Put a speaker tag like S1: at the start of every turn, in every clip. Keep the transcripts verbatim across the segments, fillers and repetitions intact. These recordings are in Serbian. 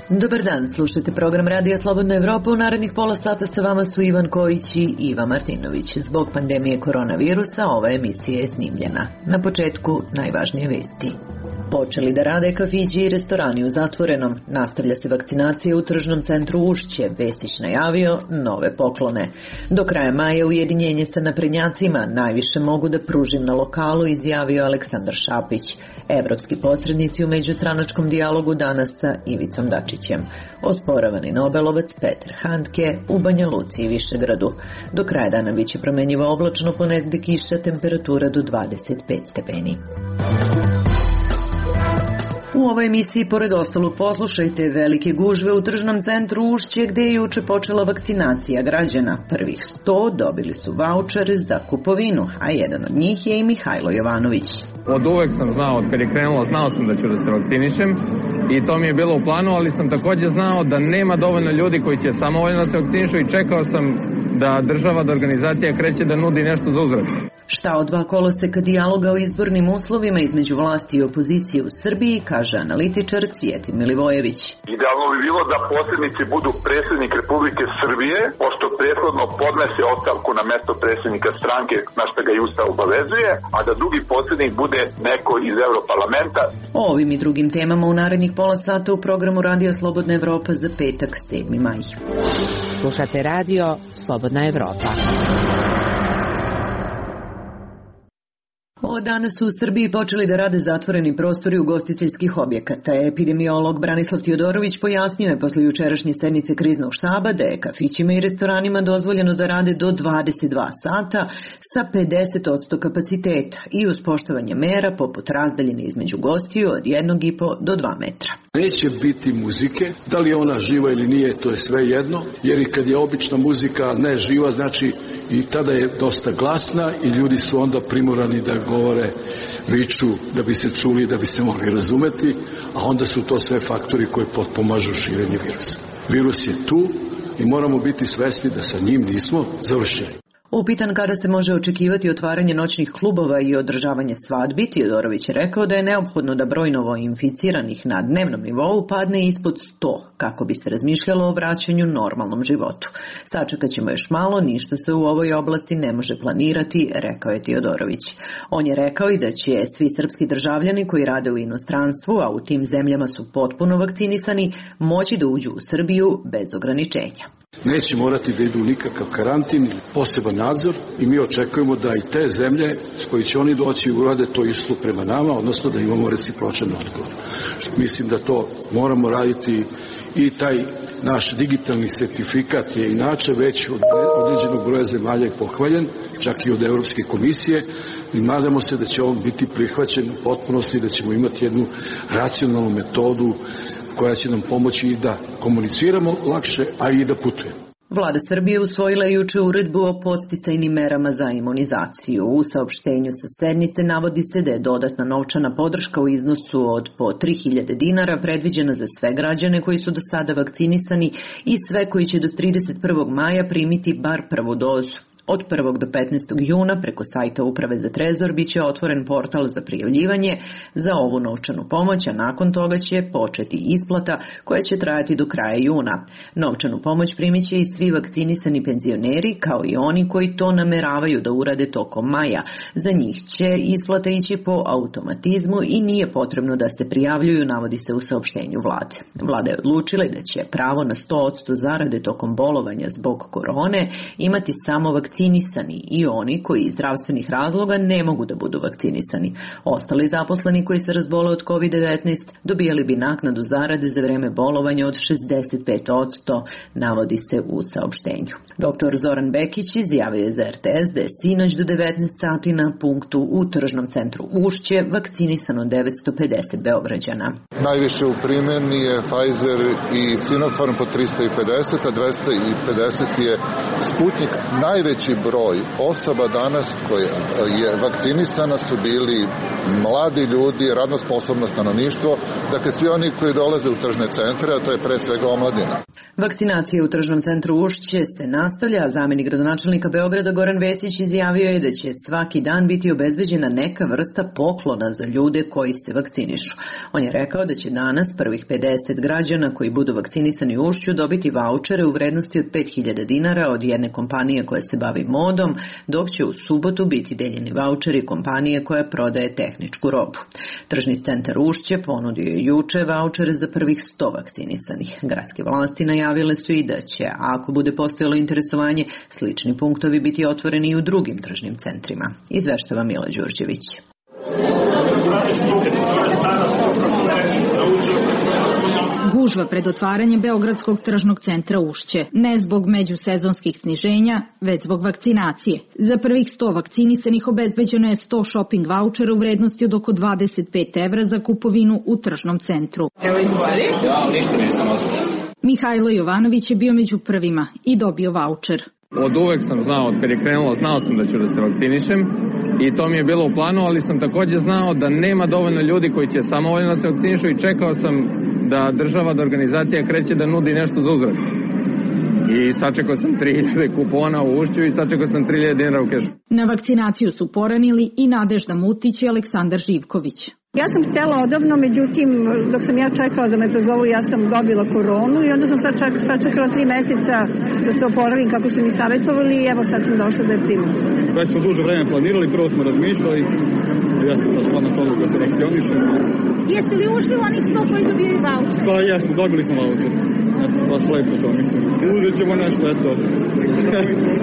S1: Dobar dan, slušajte program Radija Slobodna Evropa. U narednih pola sata sa vama su Ivan Kojić i Iva Martinović. Zbog pandemije koronavirusa ova emisija je snimljena. Na početku najvažnije vesti. Počeli da rade kafići i restorani u zatvorenom. Nastavlja se vakcinacija u tržnom centru Ušće. Vesić najavio nove poklone. Do kraja maja ujedinjenje sa naprednjacima. Najviše mogu da pružim na lokalu, izjavio Aleksandar Šapić. Evropski posrednici u međustranačkom dijalogu danas sa Ivicom Dačićem. Osporavani Nobelovac Peter Handke u Banja Luci i Višegradu. Do kraja dana biće promenjivo oblačno, ponegde kiša, temperatura do dvadeset pet stepeni. U ovoj emisiji, pored ostalog, poslušajte velike gužve u tržnom centru Ušće gde je juče počela vakcinacija građana. Prvih sto dobili su vaučere za kupovinu, a jedan od njih je i Mihajlo Jovanović.
S2: Od uvek sam znao, od kad je krenulo, znao sam da ću da se vakcinišem i to mi je bilo u planu, ali sam također znao da nema dovoljno ljudi koji će samovoljno da se vakcinišu i čekao sam da država, da organizacija kreće da nudi nešto za uzvrat.
S1: Šta od dva koloseka dijaloga o izbornim uslovima između vlasti i opozicije u Srbiji, kaže analitičar Cvijetin Milivojević.
S3: Idealno bi bilo da posrednici budu predsjednik Republike Srbije, pošto prethodno podnese ostavku na mesto predsjednika stranke, na što ga i Ustav obavezuje, a da drugi posrednik bude neko iz Evroparlamenta.
S1: O ovim i drugim temama u narednih pola sata u programu Radija Slobodna Evropa za petak, sedmi maj.
S4: Slušate Radio Slobodna Evropa.
S1: Od danas su u Srbiji počeli da rade zatvoreni prostori ugostiteljskih objekata. Epidemiolog Branislav Tijodorović pojasnio je posle jučerašnje sednice kriznog štaba da je kafićima i restoranima dozvoljeno da rade do dvadeset dva sata sa pedeset posto kapaciteta i uz poštovanje mera poput razdaljine između gostiju od jednog i po do dva metra.
S5: Neće biti muzike, da li je ona živa ili nije, to je sve jedno, jer i kad je obična muzika ne živa, znači i tada je dosta glasna i ljudi su onda primorani da govore, viču, da bi se čuli, da bi se mogli razumeti, a onda su to sve faktori koji potpomažu širenje virusa. Virus je tu i moramo biti svesni da sa njim nismo završili.
S1: Upitan kada se može očekivati otvaranje noćnih klubova i održavanje svadbi, Tijodorović je rekao da je neophodno da broj novo inficiranih na dnevnom nivou padne ispod sto, kako bi se razmišljalo o vraćanju normalnom životu. Sačekat ćemo još malo, ništa se u ovoj oblasti ne može planirati, rekao je Tijodorović. On je rekao i da će svi srpski državljani koji rade u inostranstvu, a u tim zemljama su potpuno vakcinisani, moći da uđu u Srbiju bez ograničenja.
S5: Neće morati da idu nikakav karantin ili poseban nadzor i mi očekujemo da i te zemlje s koji će oni doći urade to isto prema nama, odnosno da imamo recipročan odgovor. Mislim da to moramo raditi i taj naš digitalni sertifikat je inače već od određenog broja zemalja i pohvaljen, čak i od Evropske komisije, i nadamo se da će on biti prihvaćen u potpunosti, da ćemo imati jednu racionalnu metodu koja će nam pomoći i da komuniciramo lakše, a i da putujemo.
S1: Vlada Srbije usvojila je juče uredbu o podsticajnim merama za imunizaciju. U saopštenju sa sednice navodi se da je dodatna novčana podrška u iznosu od po tri hiljade dinara predviđena za sve građane koji su do sada vakcinisani i sve koji će do trideset prvog maja primiti bar prvu dozu. Od prvog do petnaestog juna preko sajta Uprave za trezor biće otvoren portal za prijavljivanje za ovu novčanu pomoć, a nakon toga će početi isplata koja će trajati do kraja juna. Novčanu pomoć primit će i svi vakcinisani penzioneri, kao i oni koji to nameravaju da urade tokom maja. Za njih će isplata ići po automatizmu i nije potrebno da se prijavljuju, navodi se u saopštenju vlade. Vlada je odlučila da će pravo na sto posto zarade tokom bolovanja zbog korone imati samo vakcinisani i oni koji iz zdravstvenih razloga ne mogu da budu vakcinisani. Ostali zaposleni koji se razbole od kovid devetnaest dobijali bi naknadu zarade za vreme bolovanja od šezdeset pet posto, navodi se u saopštenju. Doktor Zoran Bekić izjavio je za er te es da je sinoć do devetnaest sati na punktu u tržnom centru Ušće vakcinisano devetsto pedeset Beograđana.
S6: Najviše u primjeni je Pfizer i Sinopharm po tristo pedeset, a dvesta pedeset je Sputnik. Najveći broj osoba danas koja je vakcinisana su bili mladi ljudi, radno sposobno stanovništvo, dakle svi oni koji dolaze u tržne centre, a to je pre svega omladina.
S1: Vakcinacija u tržnom centru Ušće se nastavlja, a zamenik gradonačelnika Beograda Goran Vesić izjavio je da će svaki dan biti obezbeđena neka vrsta poklona za ljude koji se vakcinišu. On je rekao da će danas prvih pedeset građana koji budu vakcinisani u Ušću dobiti vaučere u vrednosti od pet hiljada dinara od jedne kompanije koja se bavi modom, dok će u subotu biti deljeni vaučeri kompanije koja prodaje tehničku robu. Tržni centar Ušće ponudio je juče vaučere za prvih sto vakcinisanih. Gradske vlasti najavile su i da će, ako bude postojalo interesovanje, slični punktovi biti otvoreni i u drugim tržnim centrima. Izveštava Mila Đurđević.
S7: Gužva pred otvaranjem Beogradskog tržnog centra Ušće, ne zbog međusezonskih sniženja, već zbog vakcinacije. Za prvih sto vakcinisanih obezbeđeno je sto shopping vaučera u vrednosti od oko dvadeset pet evra za kupovinu u tržnom centru.
S2: Evo izvoli. Ja, ništa nisam osjećao.
S7: Mihajlo Jovanović je bio među prvima i dobio vaučer.
S2: Od uvek sam znao, od kad je krenulo, znao sam da ću da se vakcinišem i to mi je bilo u planu, ali sam također znao da nema dovoljno ljudi koji će samovoljno da se vakcinišu i čekao sam da država, da organizacija kreće da nudi nešto za uzvrat. I sačekao sam tri hiljade kupona u Ušću i sačekao sam tri hiljade dinara u kešu.
S7: Na vakcinaciju su poranili i Nadežda Mutić i Aleksandar Živković.
S8: Ja sam htjela odavno, međutim, dok sam ja čekala da me pozovu, ja sam dobila koronu i onda sam sad ček, sačekala tri meseca da se oporavim kako su mi savjetovali i evo sad sam došla da je primim.
S9: Već smo duže vreme planirali, prvo smo razmišljali, ja sam sad podno toga da se vakcionišem.
S7: Jeste li ušli u onih sto koji dobijaju vaučer?
S9: Pa jesmo, dobili smo vaučer. Baš lepo to, mislim. Uzet ćemo nešto, eto,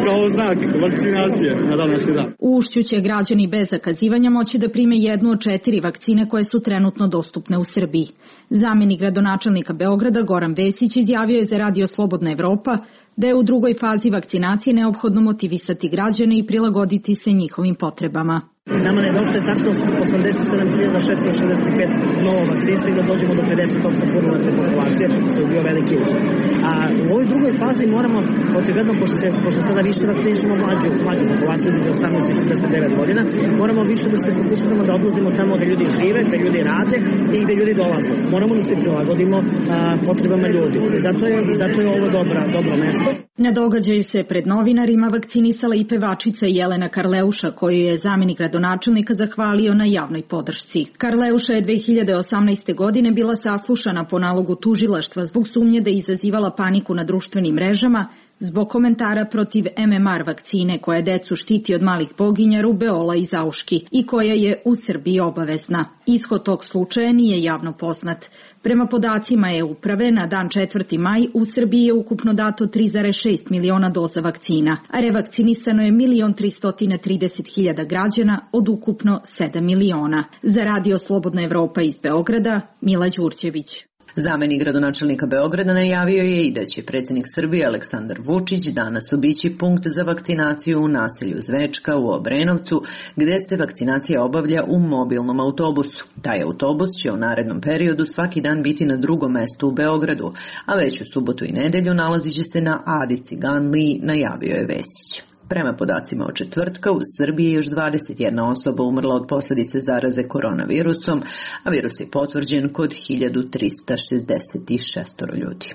S9: kao znak vakcinacije na današnji dan.
S7: U Ušću će građani bez zakazivanja moći da prime jednu od četiri vakcine koje su trenutno dostupne u Srbiji. Zamenik gradonačelnika Beograda Goran Vesić izjavio je za Radio Slobodna Evropa da je u drugoj fazi vakcinacije neophodno motivisati građane i prilagoditi se njihovim potrebama.
S10: Nama nedostaje tačno osamdeset sedam hiljada šesto šezdeset pet novo vakcinstva i da dođemo do pedeset posto punoletne populacije, što je bio veliki uspeh. A u ovoj drugoj fazi moramo, očigledno, pošto se pošto sada više vakcinišemo mlađu, mlađu populaciju između osamnaest i četrdeset devet godina, moramo više da se fokusiramo da odlazimo tamo gde ljudi žive, gde ljudi rade i gde ljudi dolaze. Moramo da se prilagodimo a, potrebama ljudi. I zato je, i zato je ovo dobra, dobro mesto.
S7: Na događaju se pred novinarima vakcinisala i pevačica Jelena Karleuša, koju je zamenik gradonačelnika zahvalio na javnoj podršci. Karleuša je dve hiljade osamnaeste. godine bila saslušana po nalogu tužilaštva zbog sumnje da je izazivala paniku na društvenim mrežama zbog komentara protiv em em er vakcine koja decu štiti od malih boginja, rubeola i zauški i koja je u Srbiji obavezna. Ishod tog slučaja nije javno poznat. Prema podacima e-uprave, na dan četvrti maj u Srbiji je ukupno dato tri zarez šest miliona doza vakcina, a revakcinisano je milion tristo trideset hiljada građana od ukupno sedam miliona. Za Radio Slobodna Evropa iz Beograda, Mila Đurđević.
S1: Zamenik gradonačelnika Beograda najavio je i da će predsjednik Srbije Aleksandar Vučić danas obići punkt za vakcinaciju u naselju Zvečka u Obrenovcu, gde se vakcinacija obavlja u mobilnom autobusu. Taj autobus će u narednom periodu svaki dan biti na drugom mestu u Beogradu, a već u subotu i nedelju nalazit će se na Adi Ciganliji, najavio je Vesić. Prema podacima od četvrtka, u Srbiji je još dvadeset jedna osoba umrla od posljedice zaraze koronavirusom, a virus je potvrđen kod hiljadu trista šezdeset šest ljudi.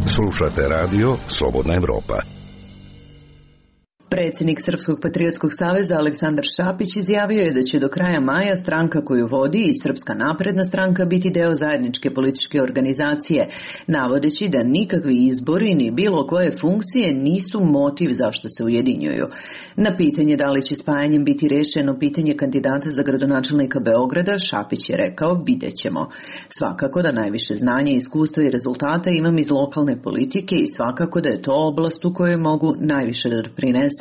S11: Slušate radio Slobodna Evropa.
S1: Predsjednik Srpskog patriotskog saveza Aleksandar Šapić izjavio je da će do kraja maja stranka koju vodi i Srpska napredna stranka biti deo zajedničke političke organizacije, navodeći da nikakvi izbori ni bilo koje funkcije nisu motiv zašto se ujedinjuju. Na pitanje da li će spajanjem biti rešeno pitanje kandidata za gradonačelnika Beograda, Šapić je rekao: vidjet ćemo. Svakako da najviše znanja, iskustva i rezultata imam iz lokalne politike i svakako da je to oblast u kojoj mogu najviše da doprinesem,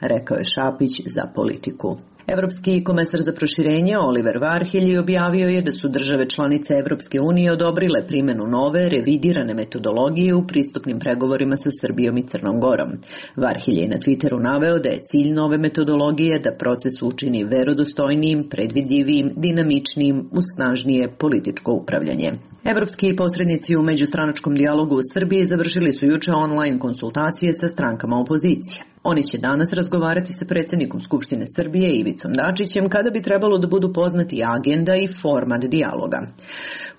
S1: rekao je Šapić za Politiku. Evropski komesar za proširenje Oliver Varhelji objavio je da su države članice Evropske unije odobrile primjenu nove, revidirane metodologije u pristupnim pregovorima sa Srbijom i Crnom Gorom. Varhelji je na Twitteru naveo da je cilj nove metodologije da proces učini verodostojnijim, predvidljivijim, dinamičnijim, uz snažnije političko upravljanje. Evropski posrednici u međustranačkom dijalogu u Srbiji završili su juče online konsultacije sa strankama opozicije. Oni će danas razgovarati sa predsjednikom Skupštine Srbije Ivicom Dačićem kada bi trebalo da budu poznati agenda i format dijaloga.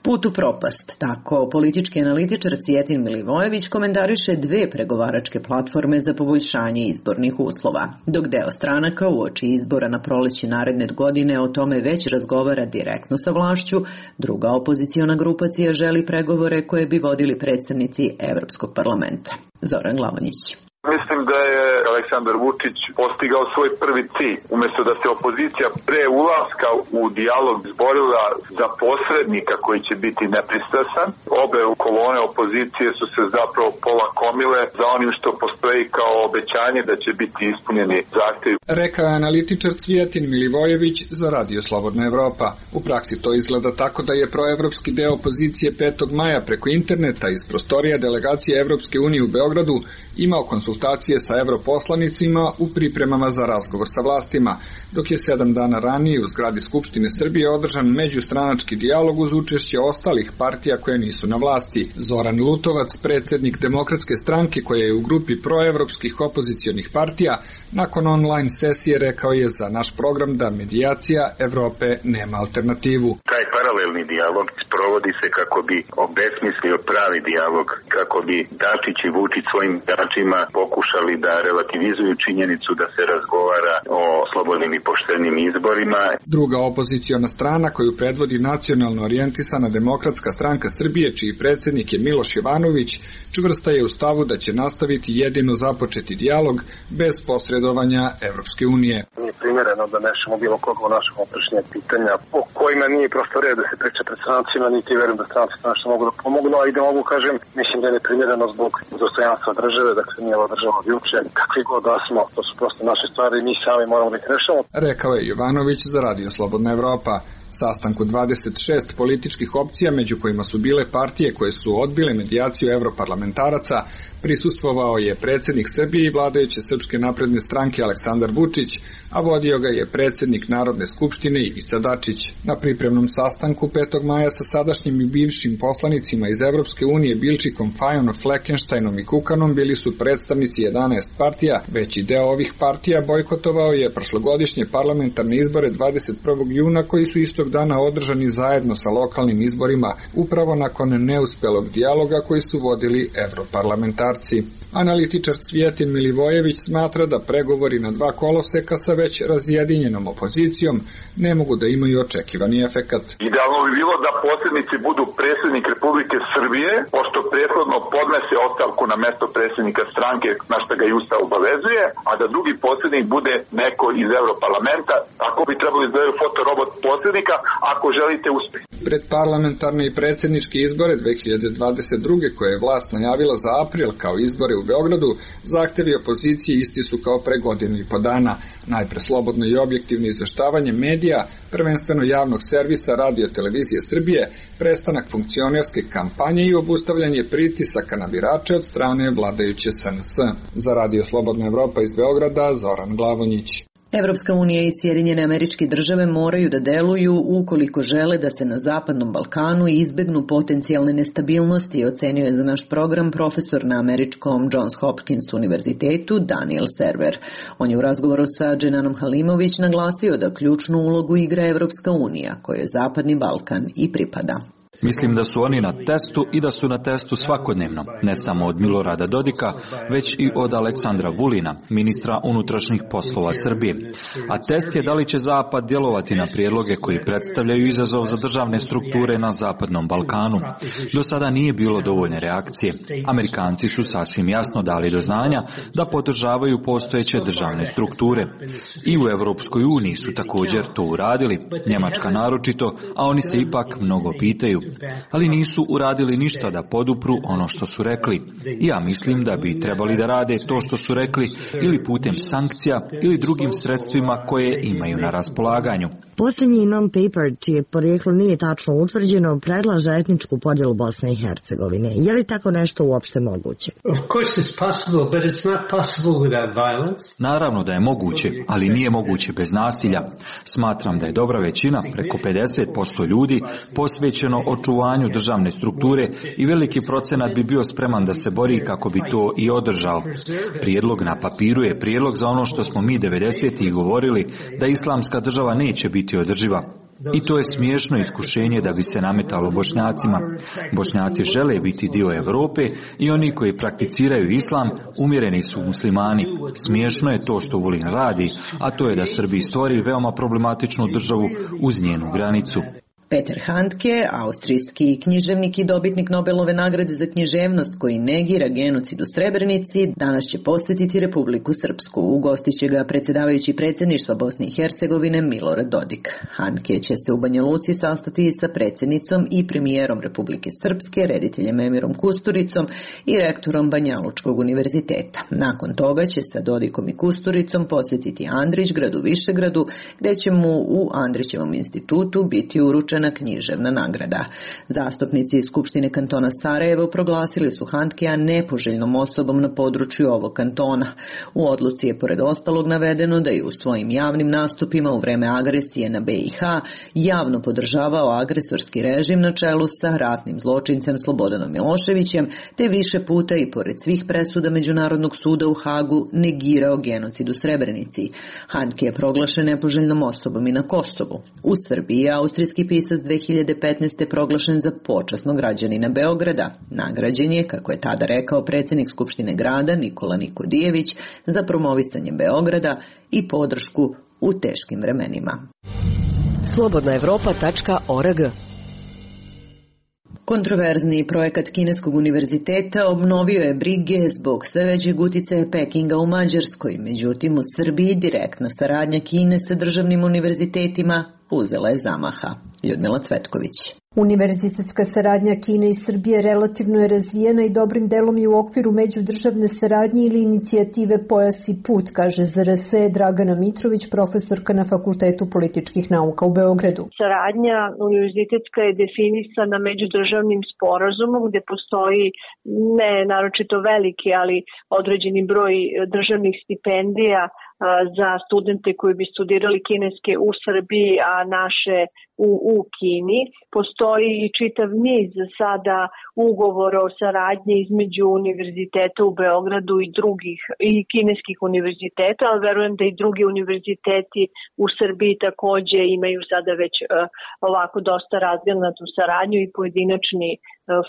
S1: Put u propast, tako politički analitičar Cvijetin Milivojević komentariše dve pregovaračke platforme za poboljšanje izbornih uslova. Dok deo stranaka uoči izbora na proleće naredne godine o tome već razgovara direktno sa vlašću, druga opoziciona grupacija želi pregovore koje bi vodili predstavnici Evropskog parlamenta. Zoran Glavonjić.
S3: Mislim da je Aleksandar Vučić postigao svoj prvi cilj. Umjesto da se opozicija pre ulaska u dijalog izborila za posrednika koji će biti nepristrasan, obe kolone opozicije su se zapravo polakomile za onim što postoji kao obećanje da će biti ispunjeni zahtjevi.
S12: Rekao je analitičar Cvijetin Milivojević za Radio Slobodna Evropa. U praksi to izgleda tako da je proevropski deo opozicije petog maja preko interneta iz prostorija delegacije Evropske unije u Beogradu imao konsultacije sa europoslanicima u pripremama za razgovor sa vlastima, dok je sedam dana ranije u zgradi Skupštine Srbije održan međustranački dijalog uz učešće ostalih partija koje nisu na vlasti. Zoran Lutovac, predsjednik Demokratske stranke koja je u grupi proevropskih opozicionih partija, nakon online sesije rekao je za naš program da medijacija Evrope nema alternativu.
S13: Taj paralelni dijalog sprovodi se kako bi obesmislio pravi dijalog, kako bi Dačić i Vučić svojim biračima pokušali da relativizuju činjenicu da se razgovara o slobodnim i poštenim izborima.
S12: Druga opoziciona strana koju predvodi nacionalno orijentisana Demokratska stranka Srbije, čiji predsjednik je Miloš Jovanović, čvrsta je u stavu da će nastaviti jedino započeti dijalog bez posredovanja Evropske unije.
S14: Nije primjereno da nešamo bilo koga u našem unutrašnjem pitanja o kojima nije prosto red da se priča pred strancima, niti verujem da stranci nešto mogu da pomognu, a i da mogu kažem, mislim da je neprimjereno zbog dostojanstva države, dakle nije ova država od juče, kakvi god da smo, to su prosto naše stvari, mi sami moramo da ih rešamo.
S12: Rekao je Jovanović za Radio Slobodna Evropa. Sastanku dvadeset šest političkih opcija, među kojima su bile partije koje su odbile medijaciju evroparlamentaraca, prisustvovao je predsjednik Srbije i vladajuće Srpske napredne stranke Aleksandar Vučić, a vodio ga je predsjednik Narodne skupštine Ivica Dačić. Na pripremnom sastanku petog maja sa sadašnjim i bivšim poslanicima iz Evropske unije Bilčikom, Fajonom, Fleckensteinom i Kukanom bili su predstavnici jedanaest partija. Veći deo ovih partija bojkotovao je prošlogodišnje parlamentarne izbore dvadeset prvog juna koji su isto istog dana održani zajedno sa lokalnim izborima, upravo nakon neuspelog dijaloga koji su vodili evroparlamentarci. Analitičar Cvijetin Milivojević smatra da pregovori na dva koloseka sa već razjedinjenom opozicijom ne mogu da imaju očekivani efekat.
S3: Idealno bi bilo da posrednici budu predsjednik Republike Srbije, pošto prethodno podnese ostavku na mesto predsjednika stranke, na što ga i Ustav obavezuje, a da drugi posrednik bude neko iz Evroparlamenta. Ako bi trebali izgledati fotorobot posrednika, ako želite uspjeh.
S12: Pred parlamentarne i predsjedničke izbore dve hiljade dvadeset druge koje je vlast najavila za april kao izbore u Beogradu, zahtevi opozicije isti su kao pre godinu i po dana. Najpre slobodno i objektivno izveštavanje medija, prvenstveno javnog servisa Radio Televizije Srbije, prestanak funkcionerske kampanje i obustavljanje pritisaka na birače od strane vladajuće S N S. Za Radio Slobodna Evropa iz Beograda, Zoran Glavonjić.
S1: Evropska unija i Sjedinjene Američke Države moraju da deluju ukoliko žele da se na Zapadnom Balkanu izbegnu potencijalne nestabilnosti, ocenio je za naš program profesor na američkom Johns Hopkins univerzitetu Daniel Server. On je u razgovoru sa Dženanom Halimović naglasio da ključnu ulogu igra Evropska unija, kojoj Zapadni Balkan i pripada.
S15: Mislim da su oni na testu i da su na testu svakodnevno, ne samo od Milorada Dodika, već i od Aleksandra Vulina, ministra unutrašnjih poslova Srbije. A test je da li će Zapad djelovati na prijedloge koji predstavljaju izazov za državne strukture na Zapadnom Balkanu. Do sada nije bilo dovoljne reakcije. Amerikanci su sasvim jasno dali do znanja da podržavaju postojeće državne strukture. I u Evropskoj uniji su također to uradili, Njemačka naročito, a oni se ipak mnogo pitaju. Ali nisu uradili ništa da podupru ono što su rekli. I ja mislim da bi trebali da rade to što su rekli ili putem sankcija ili drugim sredstvima koje imaju na raspolaganju.
S16: Posljednji non-paper, čije porijeklo nije tačno utvrđeno, predlaže etničku podjelu Bosne i Hercegovine. Je li tako nešto uopšte moguće?
S15: Naravno da je moguće, ali nije moguće bez nasilja. Smatram da je dobra većina, preko pedeset posto ljudi, posvećeno očuvanju državne strukture i veliki procenat bi bio spreman da se bori kako bi to i održao. Prijedlog na papiru je prijedlog za ono što smo mi devedesetih govorili, da islamska država neće biti održiva. I to je smiješno iskušenje da bi se nametalo Bošnjacima. Bošnjaci žele biti dio Europe i oni koji prakticiraju islam umjereni su muslimani. Smiješno je to što Vulin radi, a to je da Srbiji stvori veoma problematičnu državu uz njenu granicu.
S1: Peter Handke, austrijski književnik i dobitnik Nobelove nagrade za književnost koji negira genocid u Srebrenici, danas će posjetiti Republiku Srpsku. Ugostit će ga predsjedavajući predsjedništva Bosne i Hercegovine Milorad Dodik. Handke će se u Banja Luci sastati sa predsjednicom i premijerom Republike Srpske, rediteljem Emirom Kusturicom i rektorom Banjalučkog univerziteta. Nakon toga će sa Dodikom i Kusturicom posjetiti Andrićgrad u Višegradu, gdje će mu u Andrićevom institutu biti uručen na književna nagrada. Zastupnici iz Skupštine kantona Sarajevo proglasili su Handkea nepoželjnom osobom na području ovog kantona. U odluci je pored ostalog navedeno da je u svojim javnim nastupima u vreme agresije na B i H javno podržavao agresorski režim na čelu sa ratnim zločincem Slobodanom Miloševićem, te više puta i pored svih presuda Međunarodnog suda u Hagu negirao genocid u Srebrenici. Handke je proglašen nepoželjnom osobom i na Kosovu. U Srbiji je austrijski pisac dve hiljade petnaeste. proglašen za počasnog građanina Beograda. Nagrađen je, kako je tada rekao predsjednik Skupštine grada Nikola Nikodijević, za promovisanje Beograda i podršku u teškim vremenima.
S4: slobodna evropa tačka org.
S1: Kontroverzni projekat Kineskog univerziteta obnovio je brige zbog sve većeg uticaja Pekinga u Mađarskoj, međutim u Srbiji direktna saradnja Kine sa državnim univerzitetima uzela je zamaha. Ljudmila Cvetković.
S17: Univerzitetska saradnja Kine i Srbije relativno je razvijena i dobrim delom je u okviru međudržavne saradnje ili inicijative Pojas i put, kaže Z R S Dragana Mitrović, profesorka na Fakultetu političkih nauka u Beogradu.
S18: Saradnja univerzitetska je definisana međudržavnim sporazumom gdje postoji ne naročito veliki, ali određeni broj državnih stipendija za studente koji bi studirali kineske u Srbiji, a naše u, u Kini. Postoji i čitav niz sada ugovora o saradnji između univerziteta u Beogradu i drugih i kineskih univerziteta, ali verujem da i drugi univerziteti u Srbiji također imaju sada već uh, ovako dosta razgranatu saradnju i pojedinačni uh,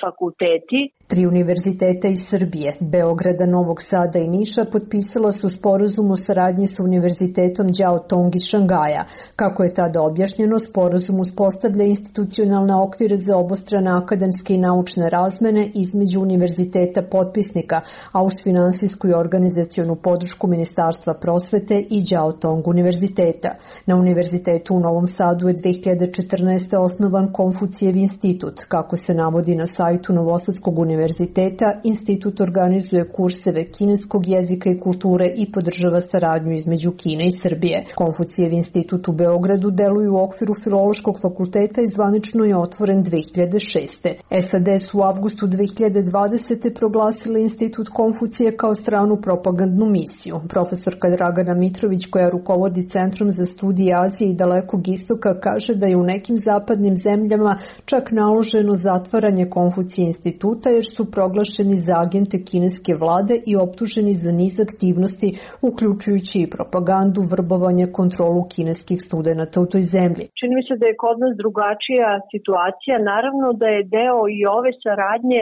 S18: fakulteti.
S17: Tri univerziteta iz Srbije, Beograda, Novog Sada i Niša, potpisala su sporazum o saradnji sa univerzitetom Đao Tong iz Šangaja. Kako je tada objašnjeno, sporazum uspostavlja institucionalne okvire za obostrane akademske i naučne razmene između univerziteta potpisnika, a uz finansijsku i organizacionu podršku Ministarstva prosvete i Đao Tong univerziteta. Na univerzitetu u Novom Sadu je dve hiljade četrnaeste. osnovan Konfucijev institut. Kako se navodi na sajtu Novosadskog univerziteta, institut organizuje kurseve kineskog jezika i kulture i podržava saradnju između Kine i Srbije. Konfucijev institut u Beogradu deluje u okviru Filološkog fakulteta i zvanično je otvoren dve hiljade šeste. S A D su u avgustu dve hiljade dvadesete. proglasili institut Konfucije kao stranu propagandnu misiju. Profesorka Dragana Mitrović, koja rukovodi Centrom za studije Azije i Dalekog istoka, kaže da je u nekim zapadnim zemljama čak naloženo zatvaranje Konfucije instituta jer su proglašeni za agente kineske vlade i optuženi za niz aktivnosti, uključujući i propagandu, vrbovanje, kontrolu kineskih studenata u toj zemlji.
S18: Čini mi se da je kod nas drugačija situacija. Naravno da je deo i ove saradnje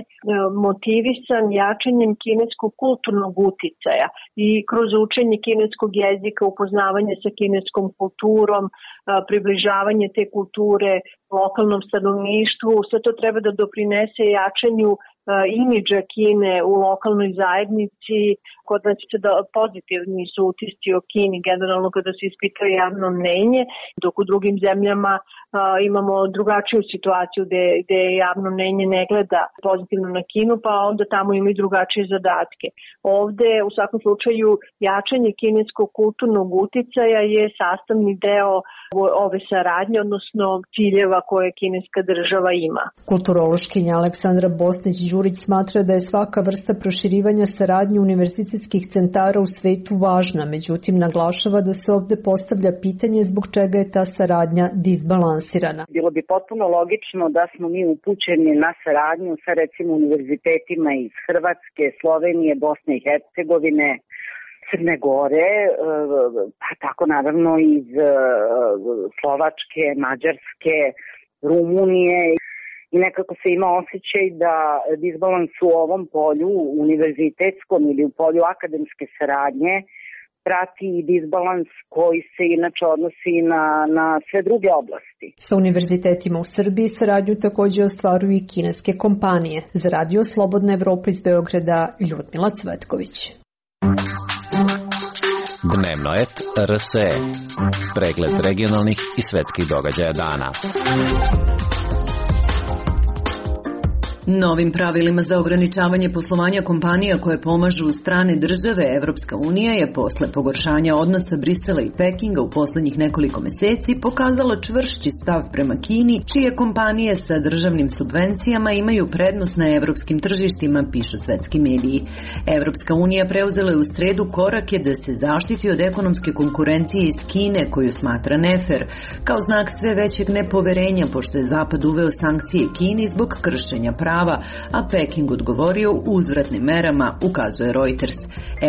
S18: motivisan jačanjem kineskog kulturnog uticaja i kroz učenje kineskog jezika, upoznavanje sa kineskom kulturom, približavanje te kulture lokalnom stanovništvu, sve to treba da doprinese jačanju imidža Kine u lokalnoj zajednici. Kod nas se da pozitivni su utisci o Kini generalno kada se ispituje javno mnenje, dok u drugim zemljama a, imamo drugačiju situaciju gde, gde javno mnenje ne gleda pozitivno na Kinu, pa onda tamo ima i drugačije zadatke. Ovde u svakom slučaju jačanje kineskog kulturnog uticaja je sastavni deo ove saradnje, odnosno ciljeva koje kineska država ima.
S17: Kulturološkinja Aleksandra Bosnić-Đurić smatra da je svaka vrsta proširivanja saradnje univerzitetskih centara u svetu važna, međutim naglašava da se ovde postavlja pitanje zbog čega je ta saradnja disbalansirana.
S19: Bilo bi potpuno logično da smo mi upućeni na saradnju sa recimo univerzitetima iz Hrvatske, Slovenije, Bosne i Hercegovine, Crne Gore, pa tako naravno iz Slovačke, Mađarske, Rumunije. I nekako se ima osjećaj da disbalans u ovom polju, univerzitetskom ili u polju akademske saradnje, prati i disbalans koji se inače odnosi na, na sve druge oblasti.
S17: Sa univerzitetima u Srbiji saradnju takođe ostvaruju i kineske kompanije. Za Radio Slobodna Evropa iz Beograda, Ljudmila Cvetković.
S20: Dnevno et R S E. Pregled regionalnih i svetskih događaja dana.
S1: Novim pravilima za ograničavanje poslovanja kompanija koje pomažu strane države, Evropska unija je posle pogoršanja odnosa Brisela i Pekinga u poslednjih nekoliko meseci pokazala čvršći stav prema Kini, čije kompanije sa državnim subvencijama imaju prednost na evropskim tržištima, pišu svetski mediji. Evropska unija preuzela je u sredu korake da se zaštiti od ekonomske konkurencije iz Kine, koju smatra nefer, kao znak sve većeg nepoverenja, pošto je Zapad uveo sankcije Kini zbog kršenja prava, a Peking odgovorio uzvratnim merama, ukazuje Reuters.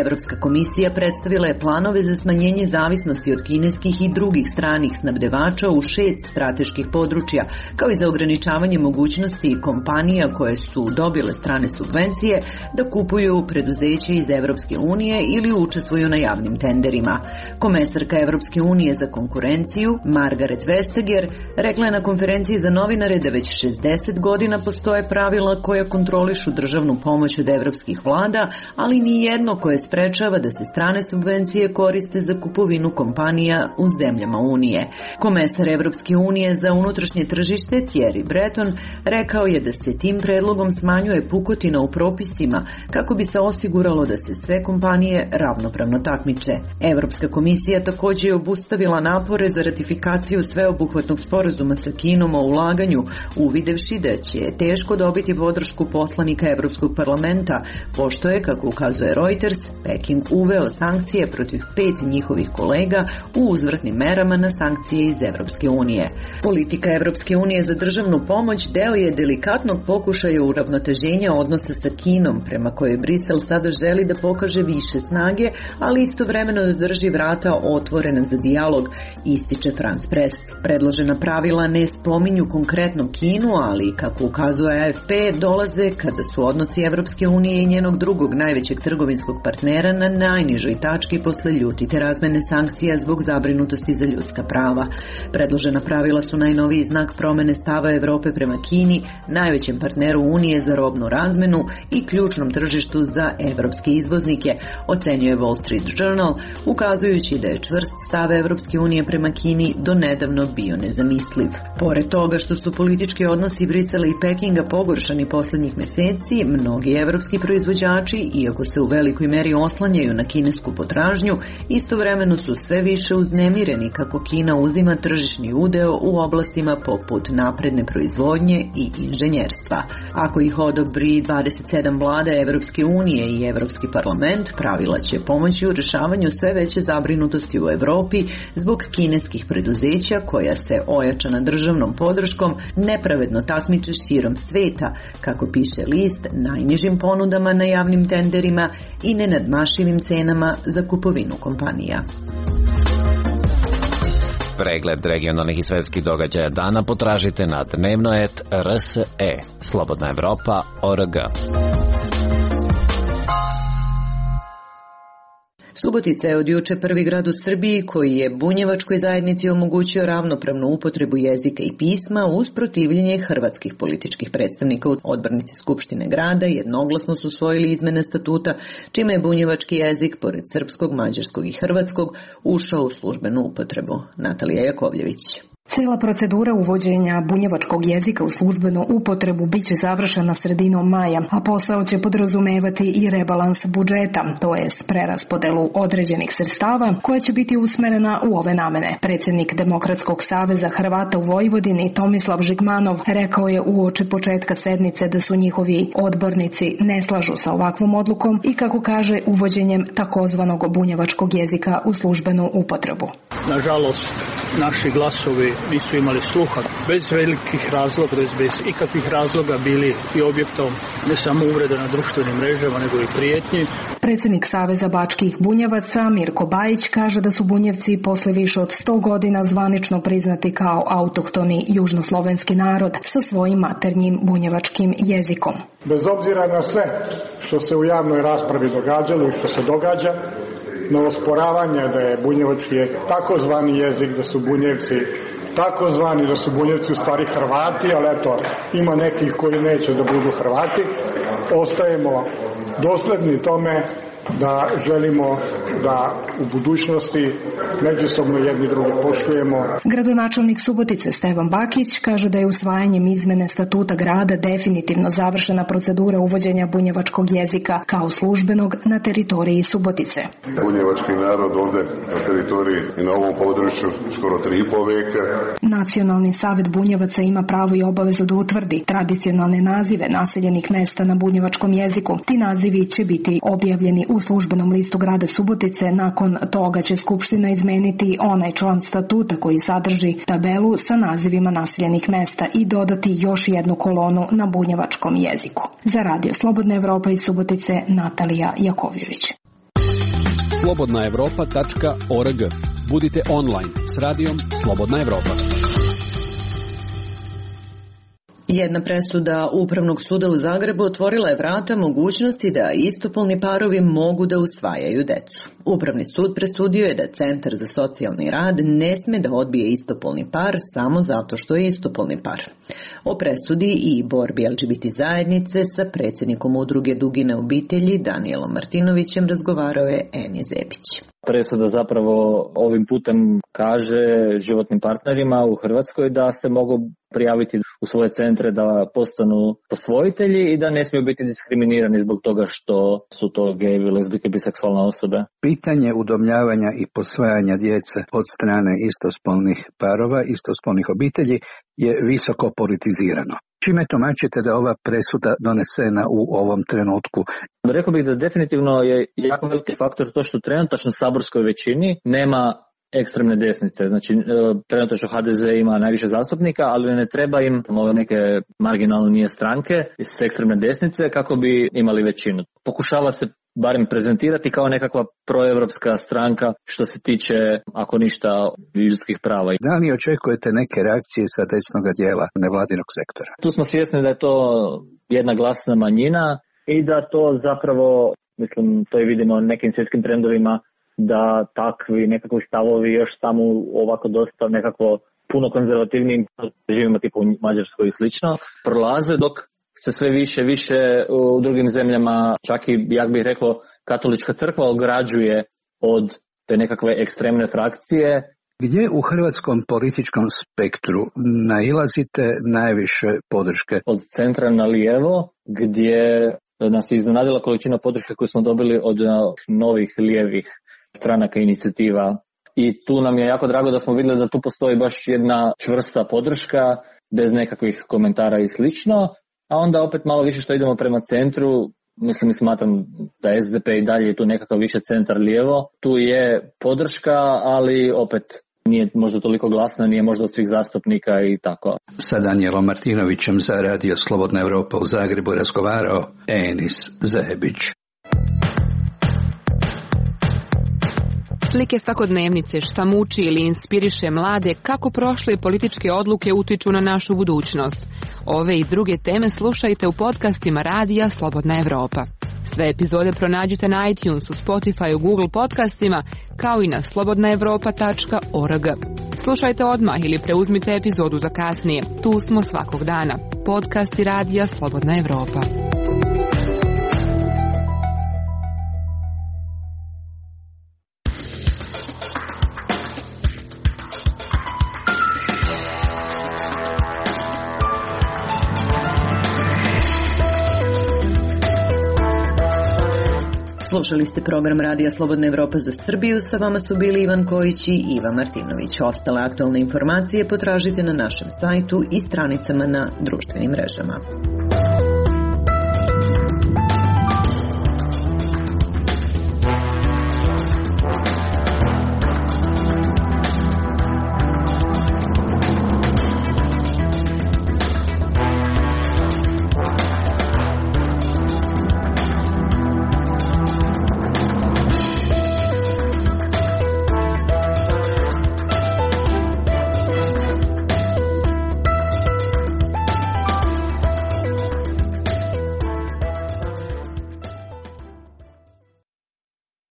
S1: Evropska komisija predstavila je planove za smanjenje zavisnosti od kineskih i drugih stranih snabdevača u šest strateških područja, kao i za ograničavanje mogućnosti kompanija koje su dobile strane subvencije da kupuju preduzeće iz Evropske unije ili učestvuju na javnim tenderima. Komesarka Evropske unije za konkurenciju, Margaret Vestager, rekla je na konferenciji za novinare da već šezdeset godina postoje pravila koja kontrolišu državnu pomoć od evropskih vlada, ali ni jedno koje sprečava da se strane subvencije koriste za kupovinu kompanija u zemljama Unije. Komesar Evropske unije za unutrašnje tržište Thierry Breton rekao je da se tim predlogom smanjuje pukotina u propisima kako bi se osiguralo da se sve kompanije ravnopravno takmiče. Evropska komisija takođe je obustavila napore za ratifikaciju sveobuhvatnog sporazuma sa Kinom o ulaganju, uvidevši da će teško dobiti podršku poslanika Evropskog parlamenta, pošto je, kako ukazuje Reuters, Peking uveo sankcije protiv pet njihovih kolega u uzvratnim merama na sankcije iz Evropske unije. Politika Evropske unije za državnu pomoć deo je delikatnog pokušaja uravnoteženja odnosa sa Kinom, prema kojoj Brisel sada želi da pokaže više snage, ali istovremeno da drži vrata otvorena za dijalog, ističe France Press. Predložena pravila ne spominju konkretno Kinu, ali, kako ukazuje A F P, dolaze kada su odnosi Evropske unije i njenog drugog najvećeg trgovinskog partnera na najnižoj tački posle ljutite razmene sankcija zbog zabrinutosti za ljudska prava. Predložena pravila su najnoviji znak promene stava Evrope prema Kini, najvećem partneru Unije za robnu razmenu i ključnom tržištu za evropske izvoznike, ocenjuje Wall Street Journal, ukazujući da je čvrst stav Evropske unije prema Kini do nedavno bio nezamisliv. Pored toga što su politički odnosi Brisela i Pekinga pogoršani poslednjih meseci, mnogi evropski proizvođači, iako se u velikoj meri oslanjaju na kinesku potražnju, istovremeno su sve više uznemireni kako Kina uzima tržišni udeo u oblastima poput napredne proizvodnje i inženjerstva. Ako ih odobri dvadeset sedam vlada Evropske unije i Evropski parlament, pravila će pomoći u rešavanju sve veće zabrinutosti u Evropi zbog kineskih preduzeća koja se ojačana državnom podrškom nepravedno takmiče širom sveta, kako piše list, najnižim ponudama na javnim tenderima i nenadmašivim cenama za kupovinu kompanija.
S20: Pregled regionalnih i svetskih događaja dana potražite na dnevno et R S E, Slobodna Evropa, O R G.
S1: Subotica je od juče prvi grad u Srbiji koji je bunjevačkoj zajednici omogućio ravnopravnu upotrebu jezika i pisma uz protivljenje hrvatskih političkih predstavnika. Odbornici Skupštine grada jednoglasno su usvojili izmene statuta, čime je bunjevački jezik, pored srpskog, mađarskog i hrvatskog, ušao u službenu upotrebu. Natalija Jakovljević.
S21: Cijela procedura uvođenja bunjevačkog jezika u službenu upotrebu biće završena sredinom maja, a posao će podrazumevati i rebalans budžeta, to jest preraspodelu određenih sredstava koja će biti usmerena u ove namene. Predsjednik Demokratskog saveza Hrvata u Vojvodini Tomislav Žigmanov rekao je uoči početka sednice da su njihovi odbornici ne slažu sa ovakvom odlukom i, kako kaže, uvođenjem takozvanog bunjevačkog jezika u službenu upotrebu.
S22: Nažalost, naši glasovi nisu imali sluha. Bez velikih razloga, bez ikakvih razloga bili i objektom ne samo uvrede na društvenim mrežama, nego i prijetnji.
S21: Predsjednik Saveza bačkih bunjevaca Mirko Bajić kaže da su Bunjevci posle više od sto godina zvanično priznati kao autohtoni južnoslovenski narod sa svojim maternjim bunjevačkim jezikom.
S23: Bez obzira na sve što se u javnoj raspravi događalo i što se događa, na osporavanje da je bunjevački jezik takozvani jezik, da su Bunjevci takozvani, da su Bunjevci u stvari Hrvati, ali eto, ima nekih koji neće da budu Hrvati. Ostajemo dosledni tome da želimo da u budućnosti međusobno jedni druge poštujemo.
S21: Gradonačelnik Subotice Stevan Bakić kaže da je usvajanjem izmene statuta grada definitivno završena procedura uvođenja bunjevačkog jezika kao službenog na teritoriji Subotice.
S24: Bunjevački narod ovde na teritoriji i na ovom području skoro tri i po veka.
S21: Nacionalni savjet Bunjevaca ima pravo i obavezu da utvrdi tradicionalne nazive naseljenih mesta na bunjevačkom jeziku. Ti nazivi će biti objavljeni u službenom listu grada Subotice. Nakon toga će Skupština izmeniti onaj član statuta koji sadrži tabelu sa nazivima naseljenih mesta i dodati još jednu kolonu na bunjevačkom jeziku. Za Radio Slobodna Evropa iz Subotice, Natalija Jakovljević.
S25: slobodna evropa tačka org. Budite online s radijom Slobodna Evropa.
S1: Jedna presuda Upravnog suda u Zagrebu otvorila je vrata mogućnosti da istopolni parovi mogu da usvajaju decu. Upravni sud presudio je da Centar za socijalni rad ne sme da odbije istopolni par samo zato što je istopolni par. O presudi i borbi L G B T zajednice sa predsjednikom udruge Dugine obitelji Danijelom Martinovićem razgovarao je Eni Zebić.
S26: Presuda zapravo ovim putem kaže životnim partnerima u Hrvatskoj da se mogu prijaviti u svoje centre da postanu posvojitelji i da ne smiju biti diskriminirani zbog toga što su to gejevi, lezbijke, biseksualne osobe.
S27: Pitanje udomljavanja i posvajanja djece od strane istospolnih parova, istospolnih obitelji je visoko politizirano. Čime tumačite da je ova presuda donesena u ovom trenutku?
S26: Rekao bih da definitivno je jako veliki faktor to što trenutačno saborskoj većini nema ekstremne desnice. Znači, trenutačno H D Z ima najviše zastupnika, ali ne treba im ove neke marginalne stranke iz ekstremne desnice kako bi imali većinu. Pokušava se barem prezentirati kao nekakva proevropska stranka što se tiče, ako ništa, ljudskih prava.
S27: Da li očekujete neke reakcije sa desnog dijela nevladinog sektora?
S26: Tu smo svjesni da je to jedna glasna manjina i da to zapravo, mislim, to i vidimo u nekim svjetskim trendovima, da takvi nekakvi stavovi još samo ovako dosta nekako puno konzervativnim režimima tipu u Mađarskoj i slično prolaze, dok se sve više više u drugim zemljama, čak i, jak bih rekao, katolička crkva ograđuje od te nekakve ekstremne frakcije.
S27: Gdje u hrvatskom političkom spektru nailazite najviše podrške?
S26: Od centra na lijevo, gdje nas je iznenadila količina podrške koju smo dobili od novih lijevih stranaka inicijativa. I tu nam je jako drago da smo vidjeli da tu postoji baš jedna čvrsta podrška, bez nekakvih komentara i slično. A onda opet malo više što idemo prema centru, mislim i smatram da S D P i dalje je tu nekakav više centar lijevo. Tu je podrška, ali opet nije možda toliko glasna, nije možda od svih zastupnika i tako.
S27: Sa Danijelom Martinovićem za Radio Slobodna Evropa u Zagrebu razgovarao Enis Zebić.
S28: Slike svakodnevnice, šta muči ili inspiriše mlade, kako prošle političke odluke utiču na našu budućnost. Ove i druge teme slušajte u podcastima Radija Slobodna Evropa. Sve epizode pronađite na iTunesu, Spotifyu, Google podcastima, kao i na slobodna evropa tačka org. Slušajte odmah ili preuzmite epizodu za kasnije. Tu smo svakog dana. Podcast i radija Slobodna Evropa.
S1: Slušali ste program Radija Slobodna Evropa za Srbiju, sa vama su bili Ivan Kojić i Iva Martinović. Ostale aktualne informacije potražite na našem sajtu i stranicama na društvenim mrežama.